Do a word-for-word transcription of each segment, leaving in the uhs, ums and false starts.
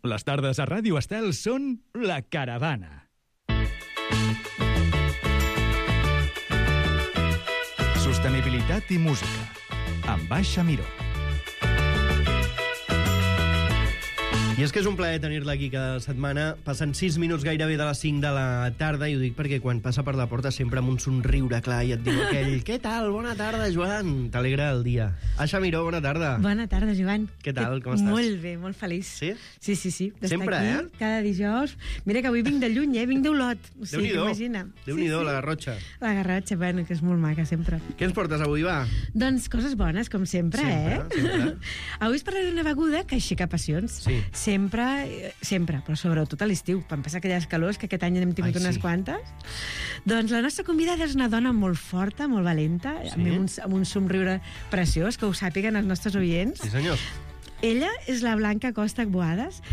Les tardes a Ràdio Estel són La Caravana. Sostenibilitat i música, amb Baixa Miró. I és que és un plaer tenir-la aquí cada setmana. Passen sis minuts gairebé de les cinc de la tarda, i ho dic perquè quan passa per la porta sempre amb un somriure clar i et diu aquell «Què tal? Bona tarda, Joan!» T'alegra el dia. Aixa Miró, bona tarda. Bona tarda, Joan. Què tal? Com estàs? Molt bé, molt feliç. Sí? Sí, sí, sí. Sempre, aquí, eh? Cada dijous. Mira que avui vinc de lluny, eh? Vinc d'Olot. O sigui, Déu-n'hi-do. imagina. Déu-n'hi-do, sí, sí. la Garrotxa. La Garrotxa, bueno, que és molt maca, sempre. Què ens portes avui, va? Doncs coses bones, com sempre, Sempre, eh? sempre. Avui es parlarà d'una beguda que aixeca passions. Sí. Sempre, sempre, però sobretot a l'estiu, quan passa aquelles calors, que aquest any n'hem tingut Ai, unes sí. quantes. Doncs la nostra convidada és una dona molt forta, molt valenta, Sí? amb, un, amb un somriure preciós, que ho sàpiguen els nostres oients. Sí, senyor. Ella és la Blanca Costa Boades,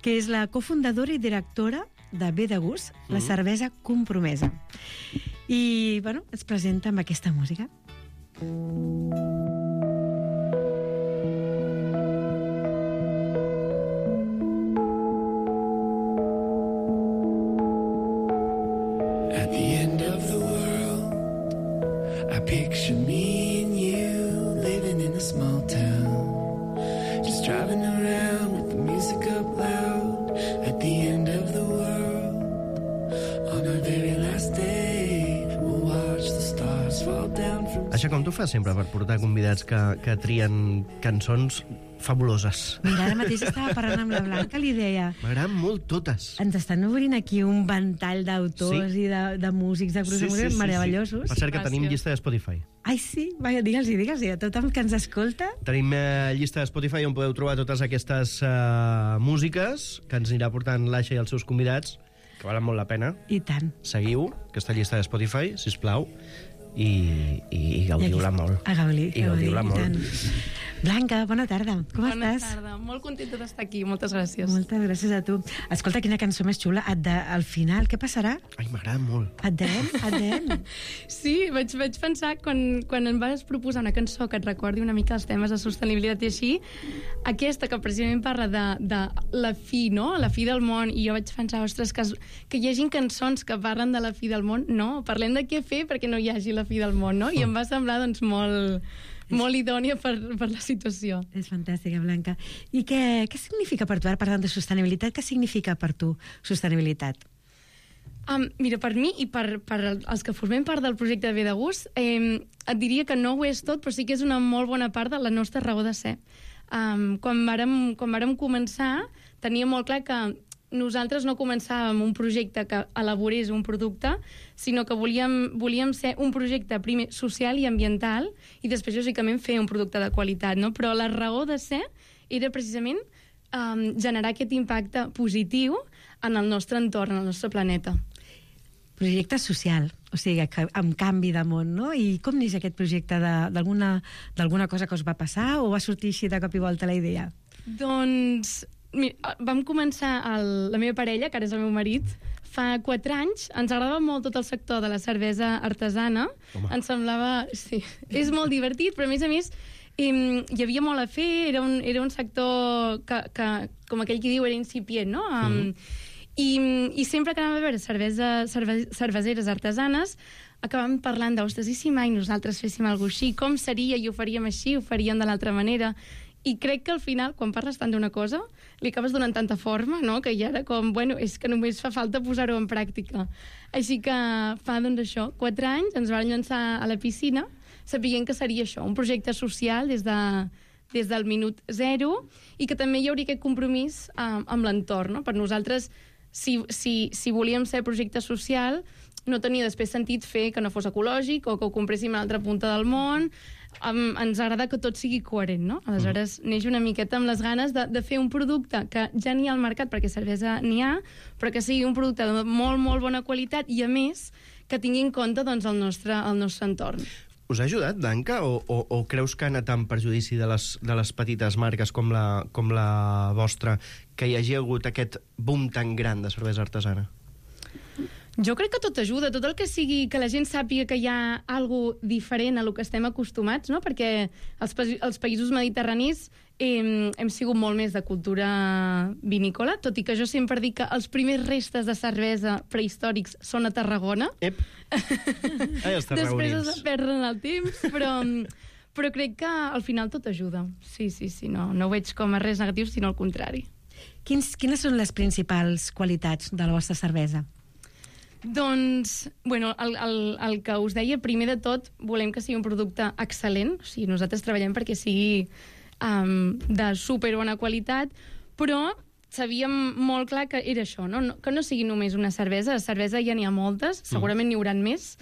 que és la cofundadora i directora de Bé de Gust, la cervesa compromesa. I, bueno, ens presenta amb aquesta música. At the end of the world, I picture me and you living in a small town, just driving around with the music up loud. At the end of the world, on our very last day, we'll watch the stars fall down from... Aixa, com tu fas sempre per portar convidats que, que trien cançons fabuloses? Mira, ara mateix estava parlant amb la Blanca, li deia... M'agraden molt totes. Ens estan obrint aquí un ventall d'autors Sí. i de, de músics, de grups de música meravellosos. Per cert, que tenim llista de Spotify. Ai, sí? Va, digue'ls-hi, digue'ls-hi a tothom que ens escolta. Tenim eh, llista de Spotify on podeu trobar totes aquestes eh, músiques que ens anirà portant l'Aixa i els seus convidats, que valen molt la pena. I tant. Seguiu aquesta llista de Spotify, sisplau, i, i, i gaudiu-la molt. A gaudir. I gaudiu-la molt. Tant. Blanca, bona tarda. Com Bona estàs? tarda, molt contenta d'estar aquí, moltes gràcies. Moltes gràcies a tu. Escolta, quina cançó més xula. Et de, al final, què passarà? Ai, m'agrada molt. Et dem? Et dem? Sí, vaig, vaig pensar, quan, quan em vas proposar una cançó que et recordi una mica els temes de sostenibilitat i així, aquesta que precisament parla de, de la fi, no? La fi del món, i jo vaig pensar, ostres, que, es- que hi hagin cançons que parlen de la fi del món, no, parlem de què fer perquè no hi hagi la fi del món, no? I em va semblar, doncs, molt, molt idònia per, per la situació. És fantàstica, Blanca. I què, què significa per tu, ara parlant de sostenibilitat, què significa per tu sostenibilitat? Um, mira, per mi i per, per els que formem part del projecte de Bé de Gust, eh, et diria que no ho és tot, però sí que és una molt bona part de la nostra raó de ser. Um, quan vàrem, quan vàrem començar, tenia molt clar que nosaltres no començàvem un projecte que elaborés un producte, sinó que volíem, volíem ser un projecte primer social i ambiental, i després, lògicament, fer un producte de qualitat, no? Però la raó de ser era precisament um, generar aquest impacte positiu en el nostre entorn, en el nostre planeta. Projecte social, o sigui, que, amb canvi de món, no? I com neix aquest projecte de- d'alguna d'alguna cosa que us va passar o va sortir així de cop i volta la idea? Doncs mira, vam començar el, la meva parella, que ara és el meu marit, fa quatre anys. Ens agradava molt tot el sector de la cervesa artesana. Home. Ens semblava... Sí, és molt divertit, però a més a més em, hi havia molt a fer, era un, era un sector que, que, com aquell que diu, era incipient, no? Um, i, I sempre que anàvem a veure cervesa, cerve, cerveseres artesanes, acabàvem parlant de, ostres, i si mai nosaltres féssim alguna cosa així? Com seria? I ho faríem així? Ho faríem de l'altra manera? I crec que al final, quan parles tant d'una cosa, li acabes donant tanta forma, no?, que ja era com, bueno, és que només fa falta posar-ho en pràctica. Així que fa, doncs, això, quatre anys ens vam llançar a la piscina, sabent que seria això, un projecte social des, de, des del minut zero, i que també hi hauria aquest compromís eh, amb l'entorn, no? Per nosaltres, si, si, si volíem ser projecte social, no tenia després sentit fer que no fos ecològic o que ho compréssim a l'altra punta del món. Um, ens agrada que tot sigui coherent, no? Aleshores, neix una miqueta amb les ganes de, de fer un producte que ja n'hi ha al mercat, perquè cervesa n'hi ha, però que sigui un producte de molt, molt bona qualitat i, a més, que tingui en compte, doncs, el nostre, el nostre entorn. Us ha ajudat, Blanca, o, o, o creus que ha anat en perjudici de les, de les petites marques com la, com la vostra, que hi hagi hagut aquest boom tan gran de cervesa artesana? Jo crec que tot ajuda, tot el que sigui que la gent sàpiga que hi ha algo diferent a lo que estem acostumats, no? Perquè els, pa els països mediterranis hem, hem sigut molt més de cultura vinícola, tot i que jo sempre dic que els primers restes de cervesa prehistòrics són a Tarragona. Ep. Ai, els Després tarragonins. es perden el temps, però, però crec que al final tot ajuda. Sí, sí, sí, no, no ho veig com a res negatiu, sinó al contrari. Quins, quines són les principals qualitats de la vostra cervesa? Doncs, bueno, el, el, el que us deia, primer de tot, volem que sigui un producte excel·lent. O sigui, nosaltres treballem perquè sigui um, de superbona qualitat, però sabíem molt clar que era això, no? No, que no sigui només una cervesa. De cervesa ja n'hi ha moltes, segurament n'hi hauran més,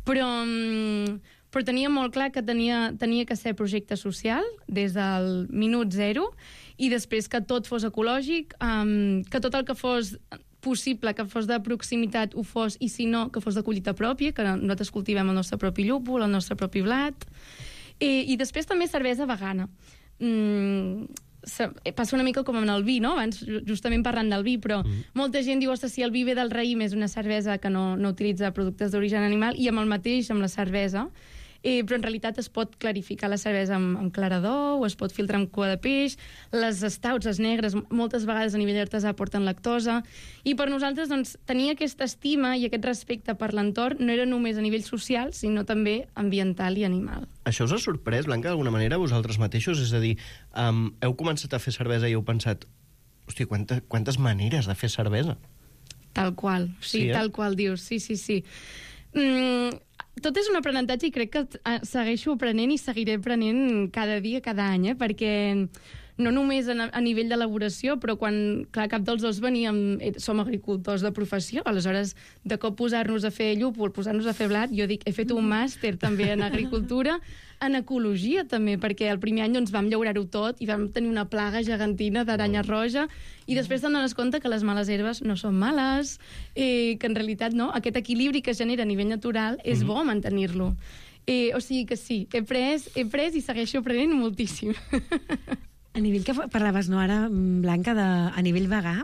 però, um, però tenia molt clar que tenia, tenia que ser projecte social des del minut zero, i després que tot fos ecològic, um, que tot el que fos possible, que fos de proximitat, ho fos, i si no, que fos de collita pròpia, que nosaltres cultivem el nostre propi llúpol, el nostre propi blat, i, i després també cervesa vegana. Mm, passa una mica com amb el vi, no? Abans, justament parlant del vi, però mm. molta gent diu, ostres, si el vi ve del raïm és una cervesa que no, no utilitza productes d'origen animal, i amb el mateix, amb la cervesa, Eh, però en realitat es pot clarificar la cervesa amb, amb clarador, o es pot filtrar amb cua de peix, les stouts, les negres, moltes vegades a nivell artesà porten lactosa, i per nosaltres doncs, tenir aquesta estima i aquest respecte per l'entorn no era només a nivell social, sinó també ambiental i animal. Això us ha sorprès, Blanca, d'alguna manera, vosaltres mateixos? És a dir, um, heu començat a fer cervesa i heu pensat, hòstia, quanta, quantes maneres de fer cervesa? Tal qual, sí, sí eh? tal qual dius, sí, sí, sí. Mm, tot és un aprenentatge i crec que segueixo aprenent i seguiré aprenent cada dia, cada any, eh? Perquè no només a, a nivell d'elaboració, però quan, clar, cap dels dos veníem, som agricultors de professió, aleshores, de cop posar-nos a fer llúpol, posar-nos a fer blat, jo dic, he fet un màster també en agricultura, en ecologia també, perquè el primer any doncs, vam llaurar-ho tot i vam tenir una plaga gegantina d'aranya roja, i després t'han donat compte que les males herbes no són males, eh, que en realitat no, aquest equilibri que es genera a nivell natural és bo mantenir-lo. Eh, o sigui que sí, he pres, he pres i segueixo aprenent moltíssim. A nivell que parlaves, no, ara, Blanca, de, a nivell vegà,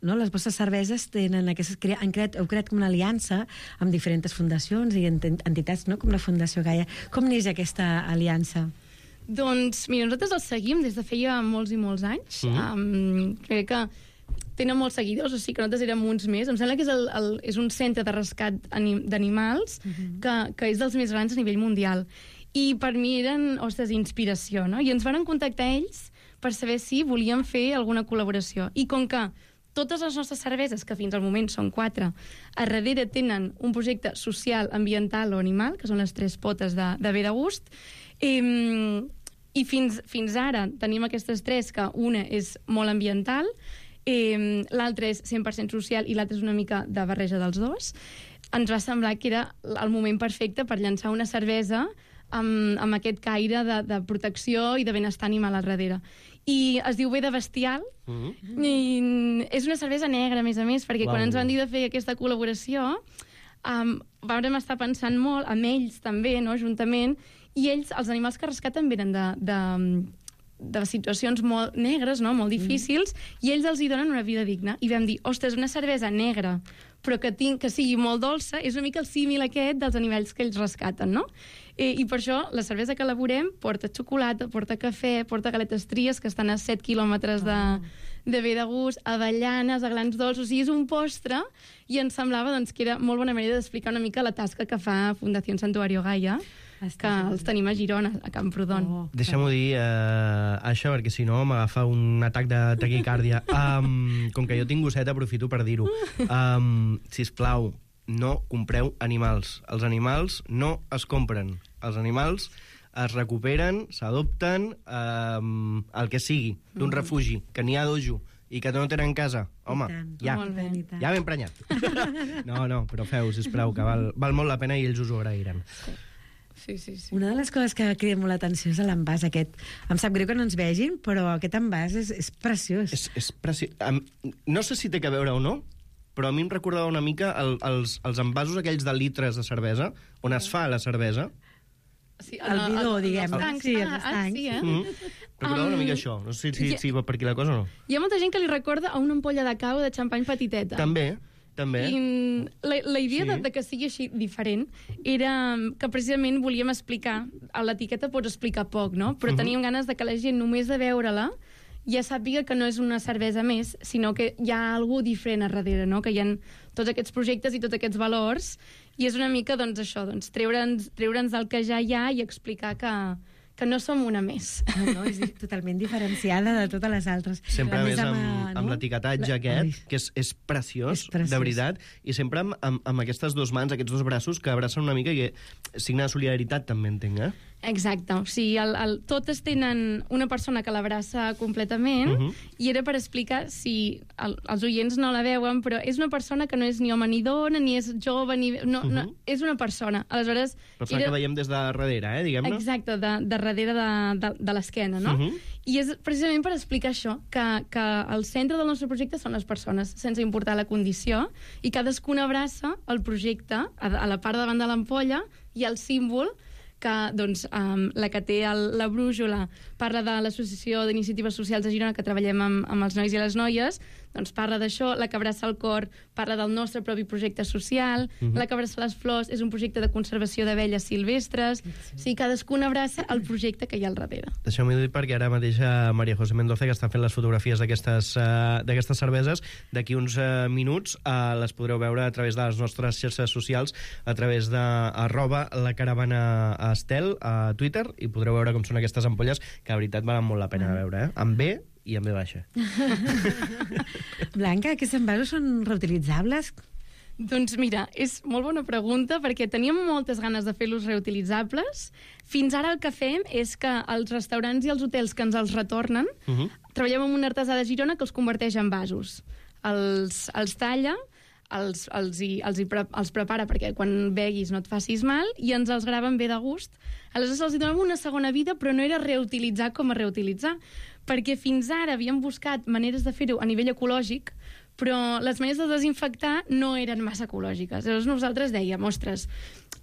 no? Les vostres cerveses tenen aquestes, han creat, heu creat com una aliança amb diferents fundacions i entitats, no? Com la Fundació Gaia. Com neix aquesta aliança? Doncs, mira, nosaltres els seguim des de feia molts i molts anys. Mm. Um, crec que tenen molts seguidors, o sigui que nosaltres érem uns més. Em sembla que és, el, el, és un centre de rescat d'animals mm-hmm. que, que és dels més grans a nivell mundial. I per mi eren, ostres, inspiració, no? I ens van contactar ells per saber si volíem fer alguna col·laboració. I com que totes les nostres cerveses, que fins al moment són quatre, a darrere tenen un projecte social, ambiental o animal, que són les tres potes de, de bé de gust, eh, i fins, fins ara tenim aquestes tres, que una és molt ambiental, eh, l'altra és cent per cent social i l'altra és una mica de barreja dels dos, ens va semblar que era el moment perfecte per llançar una cervesa amb, amb aquest caire de, de protecció i de benestar animal al darrere. I es diu Bé de Bestial, mm-hmm. i és una cervesa negra, a més a més, perquè Uau. Quan ens van dir de fer aquesta col·laboració, um, vam estar pensant molt, amb ells també, no?, juntament, i ells, els animals que rescaten venen de, de, de situacions molt negres, no?, molt difícils, mm. i ells els hi donen una vida digna. I vam dir, ostres, una cervesa negra, però que, tinc, que sigui molt dolça, és una mica el símil aquest dels animals que ells rescaten, no? Eh, I per això la cervesa que elaborem porta xocolata, porta cafè, porta galetes tries, que estan a set quilòmetres de, de bé de gust, avellanes, aglans dolços, o sigui, és un postre, i ens semblava doncs, que era molt bona manera d'explicar una mica la tasca que fa Fundació Santuario Gaia, que els tenim a Girona, a Camprodon. Oh, Deixa'm-ho dir, uh, això, perquè si no m'agafa un atac de taquicàrdia. Um, com que jo tinc gosset, aprofito per dir-ho. Um, sisplau, no compreu animals. Els animals no es compren. Els animals es recuperen, s'adopten, um, el que sigui, d'un mm. refugi, que n'hi ha dojo, i que no tenen casa. Home, ja, ja ben prenyat. No, no, però feu, sisplau, que val, val molt la pena i ells us ho agrairan. Sí, sí, sí. Una de les coses que crida molt l'atenció és l'envàs aquest. Em sap greu que no ens vegin, però aquest envàs és, és preciós. És, és preciós. No sé si té que veure o no, però a mi em recordava una mica el, els, els envasos aquells de litres de cervesa, on es fa la cervesa. Sí, el bidó, diguem. El, el, sí, els estancs. Ah, sí, eh? Mm. Recordava um, una mica això. No sé si, si, si va per aquí la cosa o no. Hi ha molta gent que li recorda a una ampolla de cava de xampany petiteta. També. també. I la, la idea Sí. de, de que sigui així diferent era que precisament volíem explicar, a l'etiqueta pots explicar poc, no? Però Mhm. teníem ganes de que la gent només de veure-la ja sàpiga que no és una cervesa més, sinó que hi ha algú diferent a darrere, no? Que hi ha tots aquests projectes i tots aquests valors, i és una mica, doncs, això, doncs, treure'ns treure'ns del que ja hi ha i explicar que, que no som una més. No, no, és totalment diferenciada de totes les altres. Sempre A més més, amb, eh, amb no? l'etiquetatge La- aquest, Ai. que és, és, preciós, És preciós. de veritat, i sempre amb, amb, amb aquestes dues mans, aquests dos braços que abracen una mica i que signa de solidaritat, també entenc, eh? Exacte, o sigui, el, el, totes tenen una persona que l'abraça completament, Uh -huh. i era per explicar, si el, els oients no la veuen, però és una persona que no és ni home ni dona, ni és jove, ni... No, uh -huh. no, és una persona. Aleshores... Persona era... que veiem des de darrere, eh, diguem-ne. Exacte, de, de darrere de, de, de l'esquena, no? Uh -huh. I és precisament per explicar això, que, que el centre del nostre projecte són les persones, sense importar la condició, i cadascuna abraça el projecte a, a la part de davant de l'ampolla i el símbol que, doncs, um, la que té el, la brújula parla de l'Associació d'Iniciatives Socials de Girona, que treballem amb, amb els nois i les noies, doncs parla d'això, la que abraça el cor parla del nostre propi projecte social, uh -huh. la que abraça les flors és un projecte de conservació d'abelles silvestres, sí. O sigui, cadascuna abraça el projecte que hi ha al darrere. Deixeu-m'ho dir perquè ara mateix a Maria José Mendoza, que està fent les fotografies d'aquestes uh, d'aquestes cerveses, d'aquí uns uh, minuts uh, les podreu veure a través de les nostres xarxes socials, a través de arroba la caravana Estel a Twitter, i podreu veure com són aquestes ampolles, que de veritat valen molt la pena de veure, eh? Amb B i amb B baixa. Blanca, aquests envasos són reutilitzables? Doncs mira, és molt bona pregunta, perquè teníem moltes ganes de fer-los reutilitzables. Fins ara el que fem és que els restaurants i els hotels que ens els retornen, Uh -huh. treballem amb un artesà de Girona que els converteix en vasos. Els, els talla, els, els, hi, els, hi pre, els prepara perquè quan beguis no et facis mal, i ens els graven bé de gust. Aleshores els hi donem una segona vida, però no era reutilitzar com a reutilitzar, perquè fins ara havíem buscat maneres de fer-ho a nivell ecològic, però les maneres de desinfectar no eren massa ecològiques. Llavors nosaltres dèiem, ostres,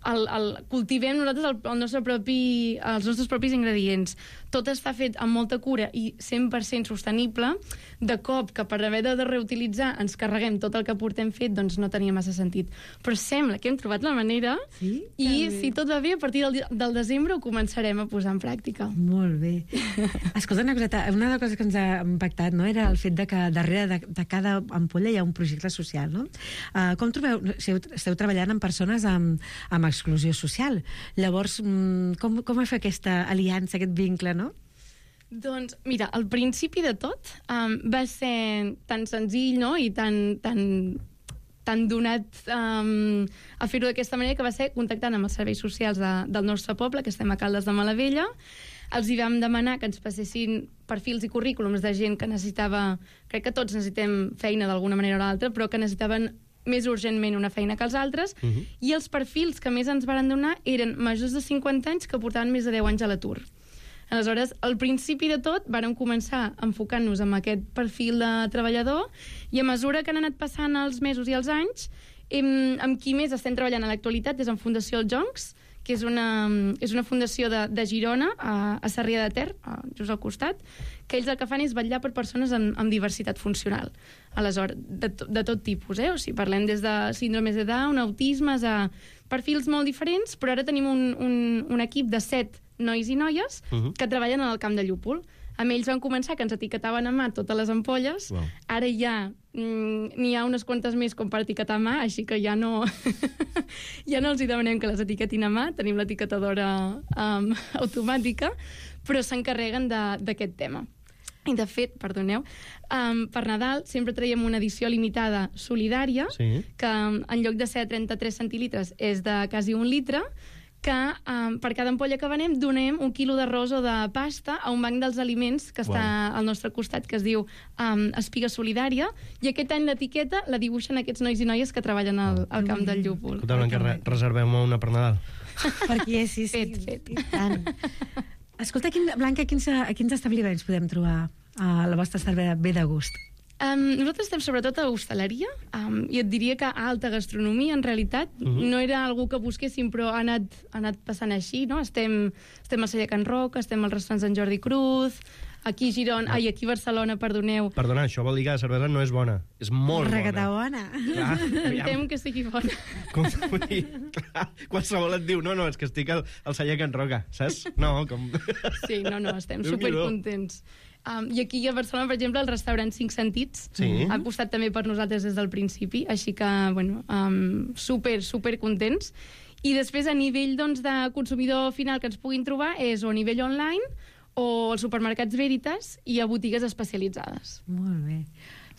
el, el, cultivem nosaltres el, el nostre propi, els nostres propis ingredients. Tot està fet amb molta cura i cent per cent sostenible. De cop, que per haver de reutilitzar ens carreguem tot el que portem fet, doncs no tenia massa sentit. Però sembla que hem trobat la manera, Sí? i Que bé. si tot va bé, a partir del, del desembre ho començarem a posar en pràctica. Molt bé. Escolta, una coseta, una de les coses que ens ha impactat, no?, era el fet de que darrere de, de cada ampolla hi ha un projecte social, no? Uh, com trobeu... Esteu, esteu treballant amb persones amb, amb exclusió social. Llavors, mm, com, com va fer aquesta aliança, aquest vincle, no? Doncs, mira, al principi de tot um, va ser tan senzill, no?, i tan, tan, tan donat um, a fer-ho d'aquesta manera, que va ser contactant amb els serveis socials de, del nostre poble, que estem a Caldes de Malavella. Els hi vam demanar que ens passessin perfils i currículums de gent que necessitava... Crec que tots necessitem feina d'alguna manera o l'altra, però que necessitaven més urgentment una feina que els altres, uh -huh. i els perfils que més ens varen donar eren majors de cinquanta anys que portaven més de deu anys a l'atur. Aleshores, al principi de tot, vàrem començar enfocant-nos en aquest perfil de treballador, i a mesura que han anat passant els mesos i els anys, hem, amb qui més estem treballant a l'actualitat és en Fundació Els Joncs, que és una, és una fundació de, de Girona, a, a Sarrià de Ter, a, just al costat, que ells el que fan és vetllar per persones amb, amb diversitat funcional. Aleshores, de, to, de tot tipus, eh? O sigui, parlem des de síndromes de Down, autismes, a perfils molt diferents, però ara tenim un, un, un equip de set nois i noies uh -huh. que treballen en el camp de llúpol. Amb ells van començar que ens etiquetaven a mà totes les ampolles. Wow. Ara ja mm, n'hi ha unes quantes més com per etiquetar a mà, així que ja no ja no els hi demanem que les etiquetin a mà, tenim l'etiquetadora um, automàtica, però s'encarreguen d'aquest tema. I de fet, perdoneu, um, per Nadal sempre traiem una edició limitada solidària, Sí. que um, en lloc de ser trenta-tres centilitres és de quasi un litre, que um, per cada ampolla que venem donem un quilo d'arròs o de pasta a un banc dels aliments que està Wow. al nostre costat, que es diu um, Espiga Solidària, i aquest any l'etiqueta la dibuixen aquests nois i noies que treballen al, al camp del llúpol. Escolta, Blanca, re reservem una per Nadal. Perquè sí, sí. Fet, fet. I tant. Escolta, quin, Blanca, a quins, a quins establiments podem trobar a la vostra cervesa bé de gust? Um, nosaltres estem sobretot a hostaleria, um, i et diria que a alta gastronomia, en realitat. Uh -huh. No era algú que busquéssim, però ha anat, ha anat passant així, no? Estem, estem al celler Can Roca, estem als restaurants d'en Jordi Cruz, aquí a Girona, ai, aquí a Barcelona, perdoneu. Perdona, això vol dir que la cervesa no és bona. És molt Requeta bona. bona. Clar, Em aviam. tem que sigui bona. Com vull dir, clar, qualsevol et diu, no, no, és que estic al, al celler Can Roca, saps? No, com... Sí, no, no, estem Déu-n'hi-do. supercontents. Um, I aquí a Barcelona, per exemple, el restaurant Cinc Sentits Sí. ha apostat també per nosaltres des del principi, així que, bueno, um, super, super contents. I després, a nivell doncs, de consumidor final que ens puguin trobar, és o a nivell online o als supermercats Veritas i a botigues especialitzades. Molt bé.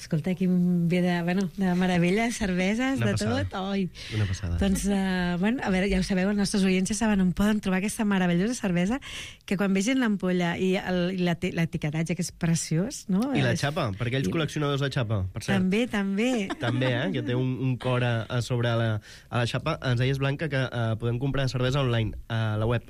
Escolta, aquí ve de, bueno, de meravella, cerveses, Una de passada. tot. Oi. Una passada. Doncs, uh, bueno, a veure, ja ho sabeu, els nostres oients ja saben on poden trobar aquesta meravellosa cervesa, que quan vegin l'ampolla i el- i l'eti- l'etiquetatge, que és preciós, no? I la És- xapa, per aquells I- col·leccionadors de xapa, per cert. També, també. També, eh? Que té un, un cor a, a sobre a la, a la xapa. Ens deies, Blanca, que eh, podem comprar cervesa online a la web.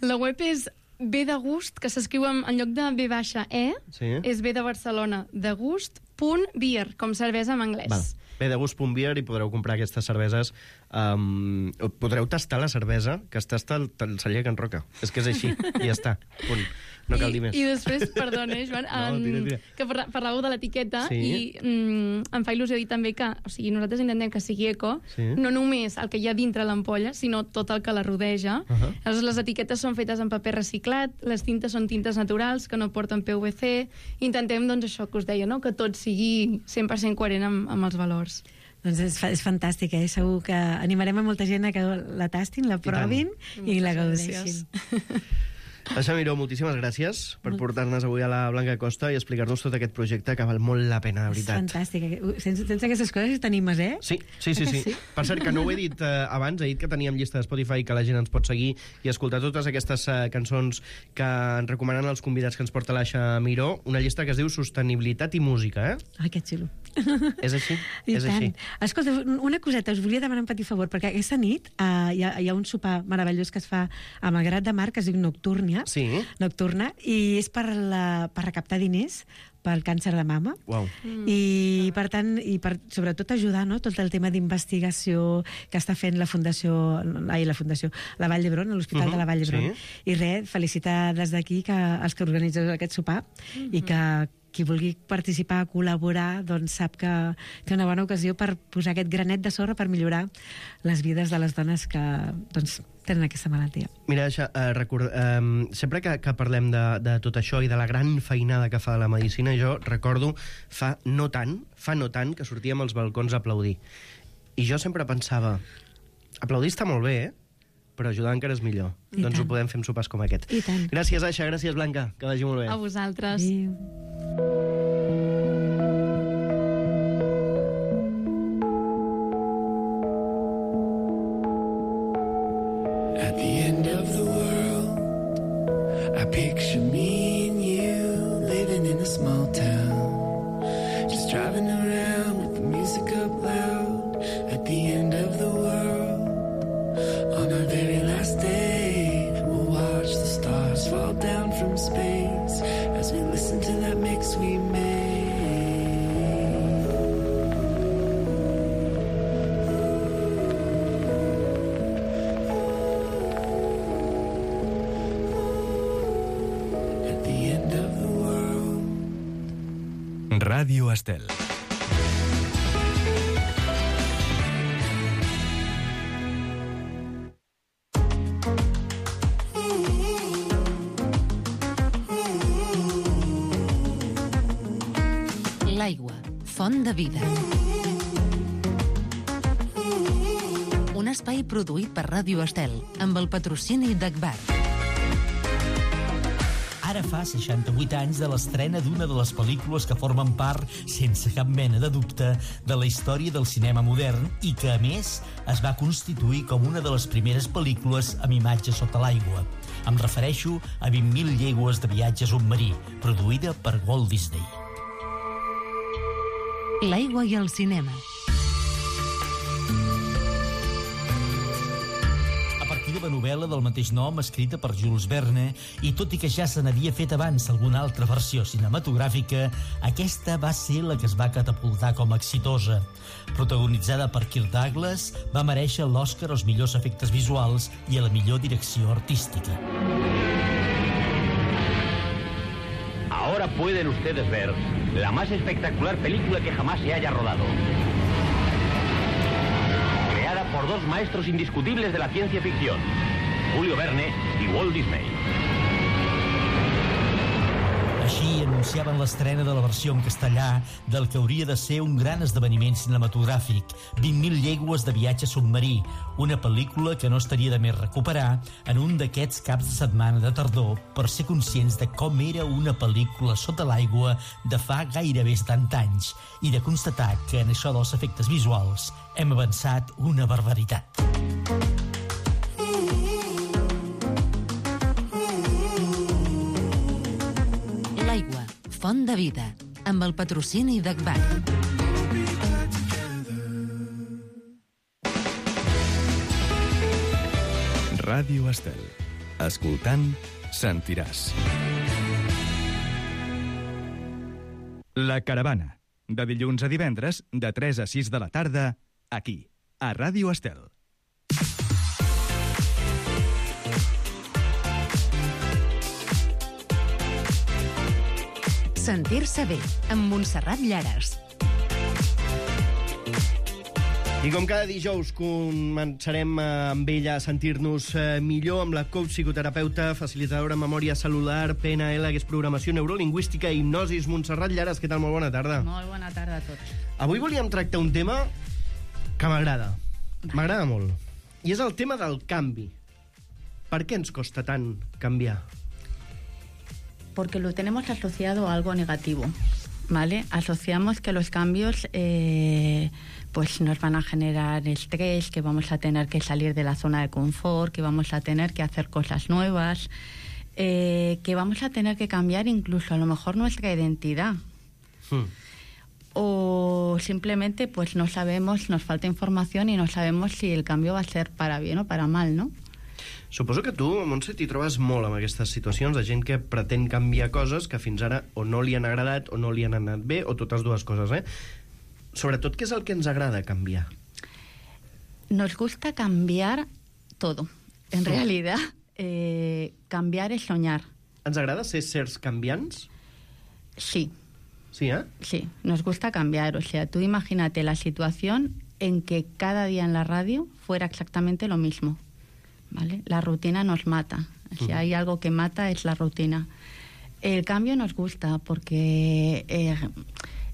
La web és B de gust, que s'escriu en, en lloc de B baixa E, Sí. és B de Barcelona, de gust, punt beer, com cervesa en anglès. Val. Bé, de gust punt beer i podreu comprar aquestes cerveses. Um, podreu tastar la cervesa que es tasta al, al celler Can Roca. És que és així, i ja està. Punt. No cal dir més. I, I després, perdona, eh, Joan, No, tira, tira. que parla, parlàveu de l'etiqueta Sí. i mm, em fa il·lusió dir també que, o sigui, nosaltres intentem que sigui eco, Sí. no només el que hi ha dintre l'ampolla, sinó tot el que la rodeja. Uh -huh. Aleshores, les etiquetes són fetes en paper reciclat, les tintes són tintes naturals, que no porten P V C. Intentem, doncs, això que us deia, no?, que tot sigui cent per cent coherent amb, amb els valors. Doncs és, fa- és fantàstic, eh? Segur que animarem a molta gent a que la tastin, la provin i, la Moltes gaudeixin. gràcies. Aixa Miró, moltíssimes gràcies per portar-nos avui a la Blanca Costa i explicar-nos tot aquest projecte que val molt la pena, de És veritat. fantàstic. Sense, sense aquestes coses t'animes, eh? Sí, sí, sí, Eh que sí. sí? Per cert, que no ho he dit eh, abans, he dit que teníem llista de Spotify que la gent ens pot seguir i escoltar totes aquestes eh, cançons que ens recomanen els convidats que ens porta l'Aixa Miró, una llista que es diu Sostenibilitat i Música, eh? Ai, que xulo. És així? I és tant. així. Escolta, una coseta, us volia demanar un petit favor, perquè aquesta nit uh, hi, ha, hi ha un sopar meravellós que es fa a Malgrat de Mar, que es diu Nocturnia, Sí? Nocturna, i és per, la, per recaptar diners pel càncer de mama. Uau. Mm. I, per tant, i per, sobretot ajudar, no?, tot el tema d'investigació que està fent la Fundació, ai, la Fundació, la Vall d'Hebron, l'Hospital Mhm, de la Vall d'Hebron. sí. I res, felicitar des d'aquí que els que organitzeu aquest sopar i que qui vulgui participar, col·laborar, doncs sap que té una bona ocasió per posar aquest granet de sorra per millorar les vides de les dones que doncs, tenen aquesta malaltia. Mira, Aixa, eh, record, eh, sempre que, que parlem de, de tot això i de la gran feinada que fa la medicina, jo recordo fa no tant, fa no tant, que sortíem als balcons a aplaudir. I jo sempre pensava, aplaudir està molt bé, eh? Però ajudar encara és millor. I doncs tant. ho podem fer amb sopars com aquest. I tant. Gràcies, Aixa, gràcies, Blanca, que vagi molt bé. A vosaltres. Adéu. At the end of the world, I picture me and you living in a small town, just driving around with the music up loud. At the end of the world, on our very last day, we'll watch the stars fall down from space as we listen to that mix we made. At the end of the world. Ràdio Estel. L'aigua, font de vida. Un espai produït per Ràdio Estel, amb el patrocini d'Agbar. Ara fa seixanta-vuit anys de l'estrena d'una de les pel·lícules que formen part, sense cap mena de dubte, de la història del cinema modern i que, a més, es va constituir com una de les primeres pel·lícules amb imatge sota l'aigua. Em refereixo a vint mil llegües de viatge submarí, produïda per Walt Disney. L'aigua i el cinema. A partir de la novel·la del mateix nom, escrita per Jules Verne, i tot i que ja se n'havia fet abans alguna altra versió cinematogràfica, aquesta va ser la que es va catapultar com a exitosa. Protagonitzada per Kirk Douglas, va merèixer l'Oscar als millors efectes visuals i a la millor direcció artística. Ahora pueden ustedes ver la más espectacular película que jamás se haya rodado. Creada por dos maestros indiscutibles de la ciencia ficción, Julio Verne i Walt Disney. Així anunciaven l'estrena de la versió en castellà del que hauria de ser un gran esdeveniment cinematogràfic, vint mil llegües de viatge submarí, una pel·lícula que no estaria de més recuperar en un d'aquests caps de setmana de tardor per ser conscients de com era una pel·lícula sota l'aigua de fa gairebé setanta anys i de constatar que en això dels efectes visuals hem avançat una barbaritat. L'aigua, font de vida, amb el patrocini d'Agbar. Ràdio Estel. Escoltant, sentiràs. La Caravana. De dilluns a divendres, de tres a sis de la tarda, aquí, a Ràdio Estel. Sentir-se bé, amb Montserrat Llares. I com cada dijous començarem amb ella a sentir-nos millor amb la coach psicoterapeuta, facilitadora en memòria celular, P N L, que és programació neurolingüística i hipnosis. Montserrat Llares, què tal? Molt bona tarda. Molt bona tarda a tots. Avui volíem tractar un tema que m'agrada. M'agrada molt. I és el tema del canvi. Per què ens costa tant canviar? Porque lo tenemos asociado a algo negativo, ¿vale? Asociamos que los cambios eh, pues nos van a generar estrés, que vamos a tener que salir de la zona de confort, que vamos a tener que hacer cosas nuevas, eh, que vamos a tener que cambiar incluso a lo mejor nuestra identidad. Hmm. O simplemente pues no sabemos, nos falta información y no sabemos si el cambio va a ser para bien o para mal, ¿no? Suposo que tu, Montse, t'hi trobes molt amb aquestes situacions de gent que pretén canviar coses que fins ara o no li han agradat o no li han anat bé, o totes dues coses, eh? Sobretot, què és el que ens agrada canviar? Nos gusta cambiar todo. En realidad, eh, cambiar es soñar. ¿Ens agrada ser seres canviants? Sí. Sí, ¿eh? Sí, nos gusta cambiar. O sea, tú imagínate la situación en que cada día en la radio fuera exactamente lo mismo. ¿Vale? La rutina nos mata. Si hay algo que mata es la rutina. El cambio nos gusta porque eh,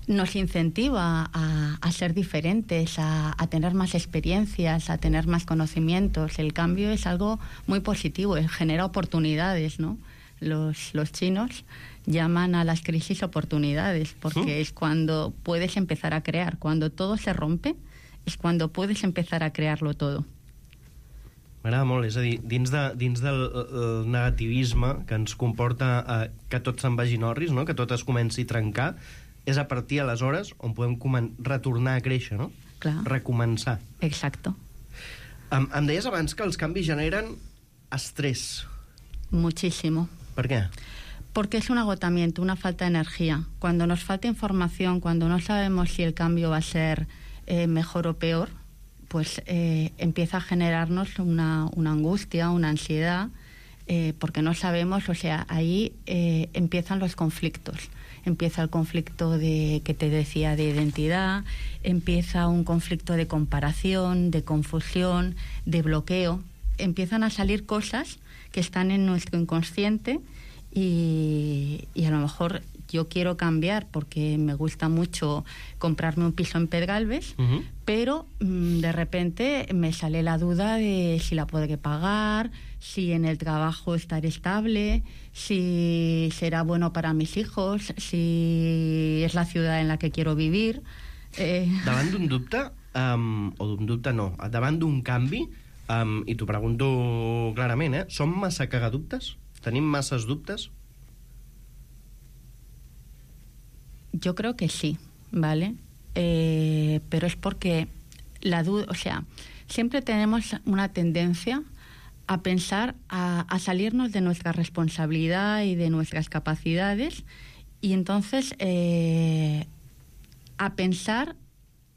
nos incentiva a, a ser diferentes, a, a tener más experiencias, a tener más conocimientos. El cambio es algo muy positivo, genera oportunidades, ¿no? Los, los chinos llaman a las crisis oportunidades porque ¿Mm? es cuando puedes empezar a crear. Cuando todo se rompe es cuando puedes empezar a crearlo todo. M'agrada molt, és a dir, dins, de, dins del el negativisme que ens comporta eh, que tot se'n vagi norris, no? Que tot es comenci a trencar, és a partir aleshores on podem retornar a créixer, no? Clar. Recomençar. Exacto. Em, em deies abans que els canvis generen estrès. Muchísimo. ¿Por qué? Porque es un agotamiento, una falta de energía. Cuando nos falta información, cuando no sabemos si el cambio va a ser eh, mejor o peor, pues eh, empieza a generarnos una, una angustia, una ansiedad, eh, porque no sabemos, o sea, ahí eh, empiezan los conflictos. Empieza el conflicto de, que te decía, de identidad, empieza un conflicto de comparación, de confusión, de bloqueo. Empiezan a salir cosas que están en nuestro inconsciente y, y a lo mejor yo quiero cambiar porque me gusta mucho comprarme un piso en Pedralbes, uh-huh. pero mmm, de repente me sale la duda de si la podré pagar, si en el trabajo estaré estable, si será bueno para mis hijos, si es la ciudad en la que quiero vivir. Eh... Davant d'un dubte, um, o d'un dubte no, davant d'un canvi, um, i t'ho pregunto clarament, eh, som massa cagadubtes? Tenim masses dubtes? Yo creo que sí, ¿vale? Eh, pero es porque la duda, o sea, siempre tenemos una tendencia a pensar, a, a salirnos de nuestra responsabilidad y de nuestras capacidades y entonces eh, a pensar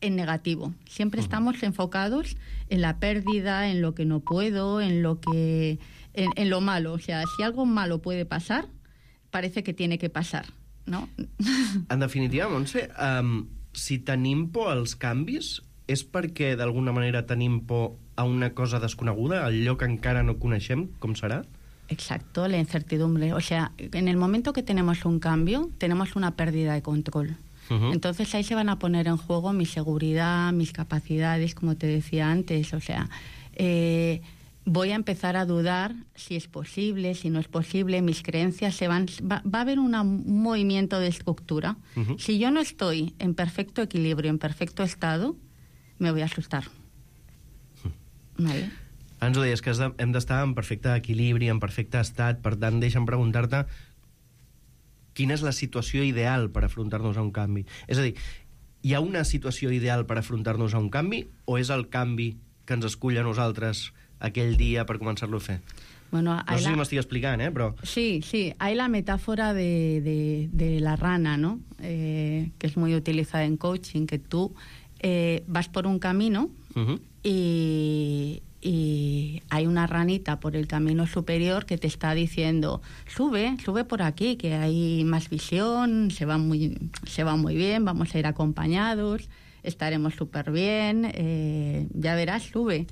en negativo. Siempre uh-huh. estamos enfocados en la pérdida, en lo que no puedo, en lo que, en, en lo malo. O sea, si algo malo puede pasar, parece que tiene que pasar. no? En definitiva, Montse, um, si tenim por als canvis, és perquè d'alguna manera tenim por a una cosa desconeguda, al lloc que encara no coneixem, com serà? Exacto, la incertidumbre. O sea, en el momento que tenemos un cambio, tenemos una pérdida de control. Uh-huh. Entonces ahí se van a poner en juego mi seguridad, mis capacidades, como te decía antes. O sea, eh, voy a empezar a dudar si es posible, si no es posible. Mis creencias se van... Va, va a haber una, un movimiento de estructura. Uh-huh. Si yo no estoy en perfecto equilibrio, en perfecto estado, me voy a asustar. Uh-huh. Vale. Ens ho deies, que hem d'estar en perfecte equilibri, en perfecte estat. Per tant, deixa'm preguntar-te quina és la situació ideal per afrontar-nos a un canvi. És a dir, hi ha una situació ideal per afrontar-nos a un canvi o és el canvi que ens escull a nosaltres aquell dia per començar-lo a fer? Bueno, no sé la... si m'estic explicant, eh, però... Sí, sí, hay la metáfora de, de, de la rana, ¿no? Eh, que es muy utilizada en coaching, que tú eh, vas por un camino uh-huh. y... y hay una ranita por el camino superior que te está diciendo, sube, sube por aquí, que hay más visión, se va muy, se va muy bien, vamos a ir acompañados, estaremos súper bien, eh, ya verás, sube.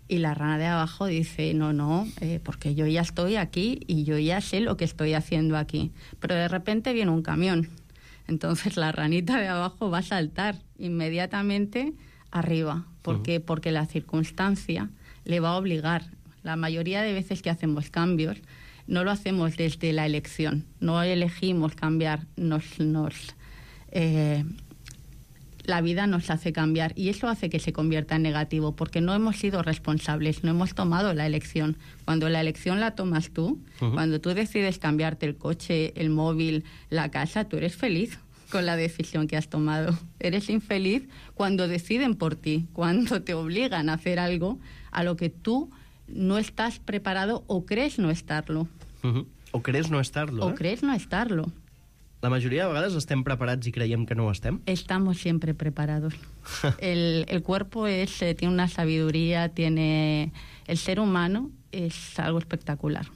Y la rana de abajo dice, no, no, eh, porque yo ya estoy aquí y yo ya sé lo que estoy haciendo aquí. Pero de repente viene un camión. Entonces la ranita de abajo va a saltar inmediatamente arriba. ¿Por qué? Uh-huh. Porque la circunstancia le va a obligar. La mayoría de veces que hacemos cambios no lo hacemos desde la elección, no elegimos cambiar, nos, nos eh, la vida nos hace cambiar y eso hace que se convierta en negativo porque no hemos sido responsables, no hemos tomado la elección. Cuando la elección la tomas tú, uh-huh. cuando tú decides cambiarte el coche, el móvil, la casa, tú eres feliz con la decisión que has tomado. Eres infeliz cuando deciden por ti, cuando te obligan a hacer algo a lo que tú no estás preparado o crees no estarlo. Uh-huh. O crees no estarlo, O eh? crees no estarlo. La majoria de vegades estem preparats i creiem que no ho estem. Estamos siempre preparados. el, el cuerpo es, eh, tiene una sabiduría, tiene... El ser humano es algo espectacular.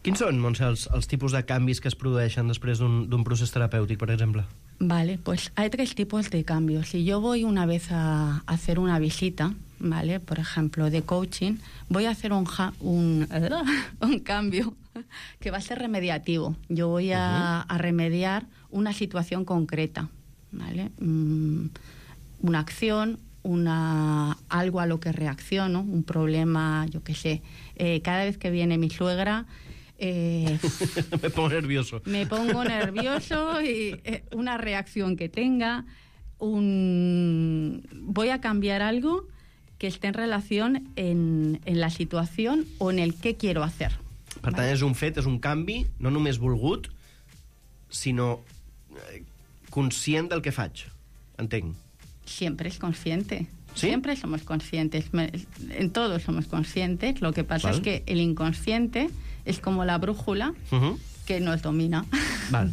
Quins són, Montse, els, els tipus de canvis que es produeixen després d'un procés terapèutic, per exemple? Vale, pues hay tres tipos de cambios. Si yo voy una vez a hacer una visita, ¿vale? Por ejemplo, de coaching, voy a hacer un, ja un, un cambio que va a ser remediativo. Yo voy a, uh-huh. a remediar una situación concreta, ¿vale? Mm, una acción, una, algo a lo que reacciono, un problema, yo qué sé. Eh, cada vez que viene mi suegra... Eh, me pongo nervioso. Me pongo nervioso y eh, una reacción que tenga, un... voy a cambiar algo que esté en relación en, en la situación o en el qué quiero hacer. Per tant, és un fet, és un canvi, no només volgut, sinó conscient del que faig. Entenc. Siempre es consciente. ¿Sí? Siempre somos conscientes. En todo somos conscientes. Lo que pasa Val. es que el inconsciente es como la brújula uh-huh. que nos domina. Val,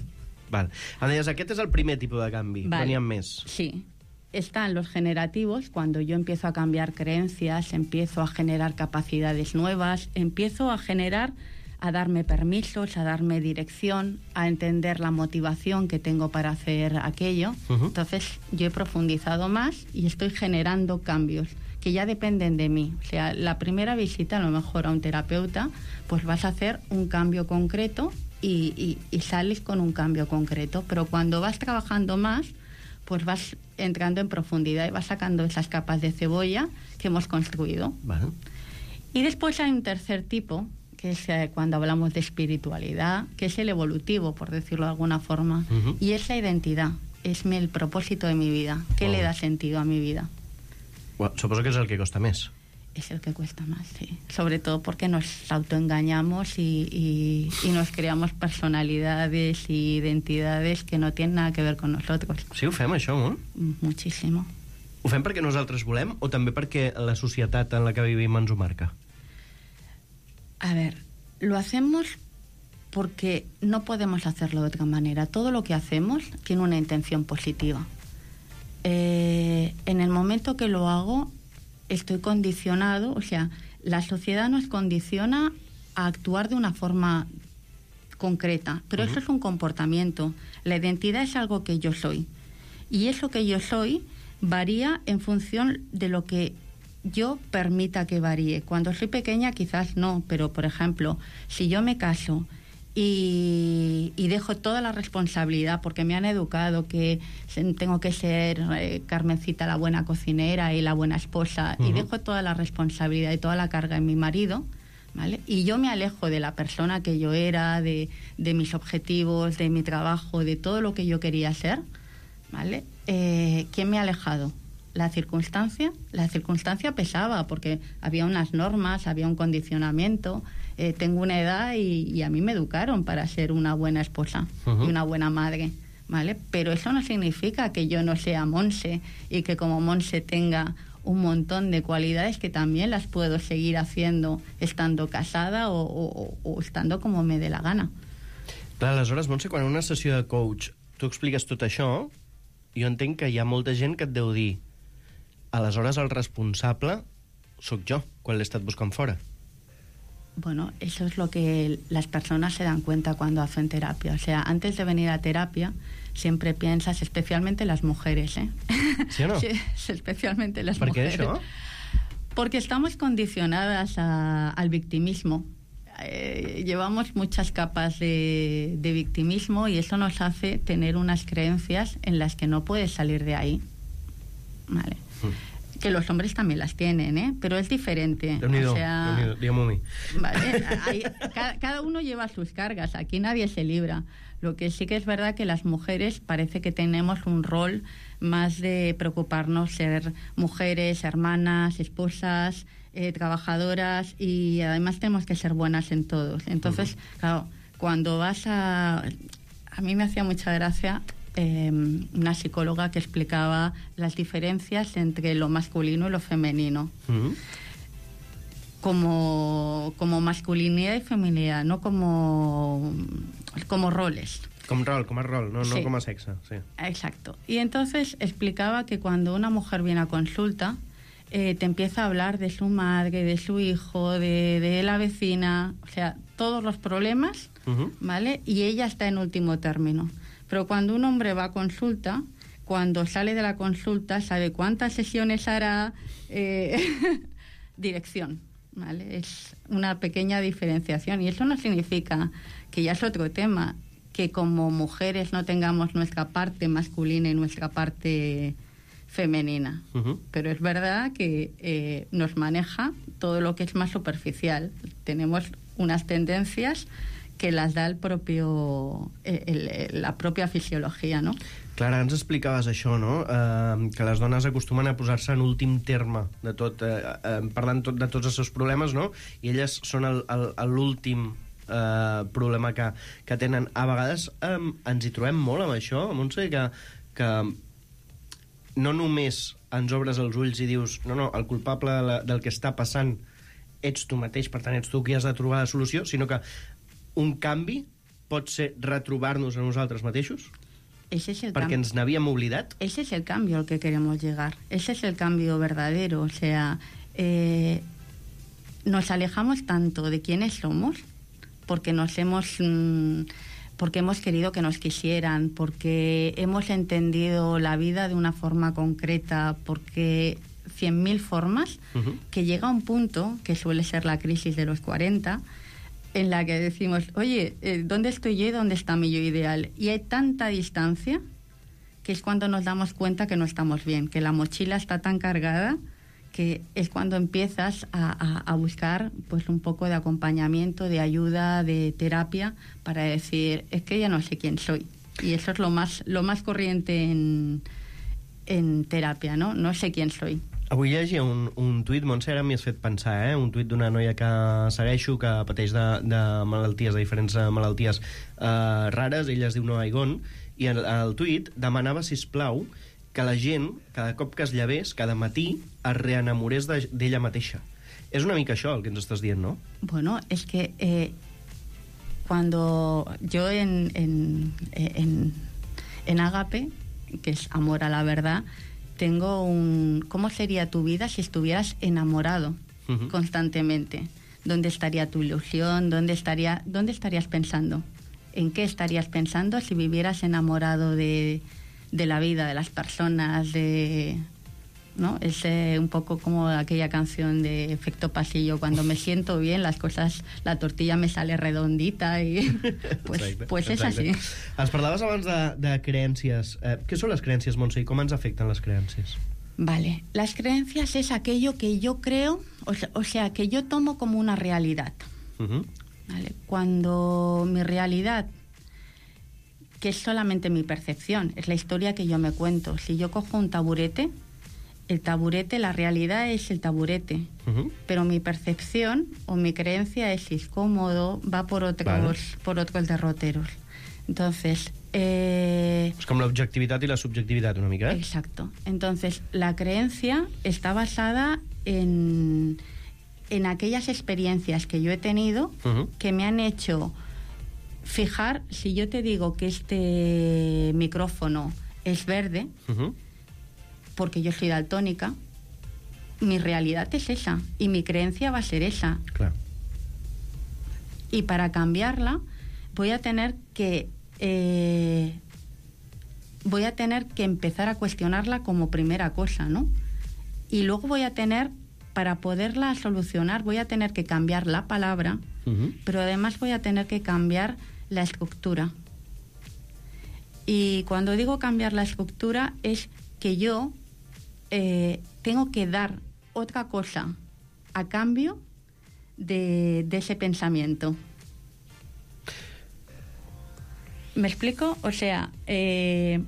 val. Em deies, aquest és el primer tipus de canvi, vale. però n'hi ha més. Sí. Están los generativos, cuando yo empiezo a cambiar creencias, empiezo a generar capacidades nuevas, empiezo a generar, a darme permisos, a darme dirección, a entender la motivación que tengo para hacer aquello. Uh-huh. Entonces yo he profundizado más y estoy generando cambios que ya dependen de mí. O sea, la primera visita, a lo mejor a un terapeuta, pues vas a hacer un cambio concreto y, y, y sales con un cambio concreto. Pero cuando vas trabajando más, pues vas entrando en profundidad y vas sacando esas capas de cebolla que hemos construido. Vale. Y después hay un tercer tipo, que es eh, cuando hablamos de espiritualidad, que es el evolutivo, por decirlo de alguna forma. Uh-huh. Y es la identidad, es el propósito de mi vida. ¿Qué oh. le da sentido a mi vida? Bueno, suposo que és el que costa més. Es el que cuesta más, sí. Sobre todo porque nos autoengañamos y, y, y nos creamos personalidades y identidades que no tienen nada que ver con nosotros. Sí, ho fem, això, molt? Muchísimo. Ho fem perquè nosaltres volem o també perquè la societat en la que vivim ens ho marca? A ver, lo hacemos porque no podemos hacerlo de otra manera. Todo lo que hacemos tiene una intención positiva. Eh, en el momento que lo hago, estoy condicionado, o sea, la sociedad nos condiciona a actuar de una forma concreta, pero uh-huh. eso es un comportamiento. La identidad es algo que yo soy. Y eso que yo soy varía en función de lo que yo permita que varíe. Cuando soy pequeña quizás no, pero por ejemplo, si yo me caso y, y dejo toda la responsabilidad, porque me han educado que tengo que ser eh, Carmencita la buena cocinera y la buena esposa, uh-huh. y dejo toda la responsabilidad y toda la carga en mi marido, ¿vale? Y yo me alejo de la persona que yo era, de, de mis objetivos, de mi trabajo, de todo lo que yo quería ser, ¿vale? Eh, ¿Quién me ha alejado? La circunstancia. La circunstancia pesaba porque había unas normas, había un condicionamiento. Eh, tengo una edad y, y a mí me educaron para ser una buena esposa uh-huh. y una buena madre, ¿vale? Pero eso no significa que yo no sea Monse y que como Monse tenga un montón de cualidades que también las puedo seguir haciendo estando casada o, o, o estando como me dé la gana. Clar, aleshores, Montse, quan en una sessió de coach tu expliques tot això, jo entenc que hi ha molta gent que et deu dir aleshores el responsable sóc jo, quan l'he estat buscant fora. Bueno, eso es lo que las personas se dan cuenta cuando hacen terapia. O sea, antes de venir a terapia, siempre piensas, especialmente las mujeres, ¿eh? ¿Sí o no? Sí, especialmente las ¿Por mujeres. ¿Por qué eso? Porque estamos condicionadas a, al victimismo. Eh, llevamos muchas capas de, de victimismo y eso nos hace tener unas creencias en las que no puedes salir de ahí. Vale. Mm. Que los hombres también las tienen, ¿eh? Pero es diferente. Déu-n'hi-do, o sea, Déu-n'hi-do, dígame a mí. Vale, hay, cada, cada uno lleva sus cargas, aquí nadie se libra. Lo que sí que es verdad que las mujeres parece que tenemos un rol más de preocuparnos ser mujeres, hermanas, esposas, eh, trabajadoras, y además tenemos que ser buenas en todos. Entonces, uh-huh. claro, cuando vas a... A mí me hacía mucha gracia eh, una psicóloga que explicaba las diferencias entre lo masculino y lo femenino. Uh-huh. Como, como masculinidad y feminidad, no como, como roles. Com rol, com a rol, no, sí. no com a sexe. Sí. Exacto. Y entonces explicaba que cuando una mujer viene a consulta, eh, te empieza a hablar de su madre, de su hijo, de, de la vecina, o sea, todos los problemas, uh-huh. ¿vale? Y ella está en último término. Pero cuando un hombre va a consulta, cuando sale de la consulta, sabe cuántas sesiones hará, eh, dirección, ¿vale? Es una pequeña diferenciación. Y eso no significa, que ya es otro tema, que como mujeres no tengamos nuestra parte masculina y nuestra parte femenina. Uh-huh. Pero es verdad que eh, nos maneja todo lo que es más superficial. Tenemos unas tendencias que las da el propio, el, el, la pròpia fisiologia, no? Clara, ens explicaves això, no? Uh, que les dones acostumen a posar-se en últim terme de tot, uh, uh, parlant tot, de tots els seus problemes, no? I elles són el, el, l'últim uh, problema que, que tenen. A vegades um, ens hi trobem molt amb això, Montse, que, que no només ens obres els ulls i dius no, no, el culpable de la, del que està passant ets tu mateix, per tant ets tu qui has de trobar la solució, sinó que un canvi pot ser retrobar-nos a nosaltres mateixos? Ese es el perquè ens n'havíem oblidat? Ese es el cambio al que queremos llegar. Ese es el cambio verdadero. O sea, eh, nos alejamos tanto de quiénes somos porque nos hemos... Mmm, porque hemos querido que nos quisieran, porque hemos entendido la vida de una forma concreta, porque cien mil formas, uh-huh. que llega un punto, que suele ser la crisis de los cuarenta, en la que decimos, oye, ¿dónde estoy yo y dónde está mi yo ideal? Y hay tanta distancia que es cuando nos damos cuenta que no estamos bien, que la mochila está tan cargada que es cuando empiezas a, a, a buscar pues un poco de acompañamiento, de ayuda, de terapia, para decir, es que ya no sé quién soy. Y eso es lo más, lo más corriente en, en terapia, ¿no? No sé quién soy. Avui llegia un, un tuit, Montse, ara m'hi has fet pensar, eh? Un tuit d'una noia que segueixo, que pateix de, de malalties, de diferents malalties eh, rares, ella es diu Noa Igon, i el, el tuit demanava, sisplau, que la gent, cada cop que es llevés, cada matí, es reenamorés de, d'ella mateixa. És una mica això el que ens estàs dient, no? Bueno, es que eh, cuando yo en, en, en, en Agape, que es amor a la verdad, tengo un... ¿Cómo sería tu vida si estuvieras enamorado uh-huh. constantemente? ¿Dónde estaría tu ilusión? ¿Dónde estaría, dónde estarías pensando? ¿en qué estarías pensando si vivieras enamorado de, de la vida, de las personas, de... ¿no? Es eh, un poco como aquella canción de Efecto Pasillo, cuando me siento bien, las cosas, la tortilla me sale redondita i pues, exacte, pues és exacte. així. Ens parlaves abans de, de creencies. Eh, què són les creencies, Montse, i com ens afecten les creencies? Vale, las creencias es aquello que yo creo, o sea, o sea que yo tomo como una realidad. Uh-huh. Vale, cuando mi realidad, que es solamente mi percepción, es la historia que yo me cuento. Si yo cojo un taburete, el taburete, la realidad es el taburete, uh-huh. pero mi percepción o mi creencia es si es cómodo, va por otros, vale. por otros derroteros. Entonces... Eh, es com l'objectivitat i la subjectivitat, una mica, ¿eh? Exacto. Entonces, la creencia está basada en, en aquellas experiencias que yo he tenido uh-huh. que me han hecho fijar, si yo te digo que este micrófono es verde, uh-huh. porque yo soy daltónica, mi realidad es esa y mi creencia va a ser esa. Claro. Y para cambiarla voy a tener que eh, voy a tener que empezar a cuestionarla como primera cosa, ¿no? Y luego voy a tener, para poderla solucionar, voy a tener que cambiar la palabra, uh-huh. pero además voy a tener que cambiar la estructura. Y cuando digo cambiar la estructura es que yo eh, tengo que dar otra cosa a cambio de, de ese pensamiento. ¿Me explico? O sea, eh,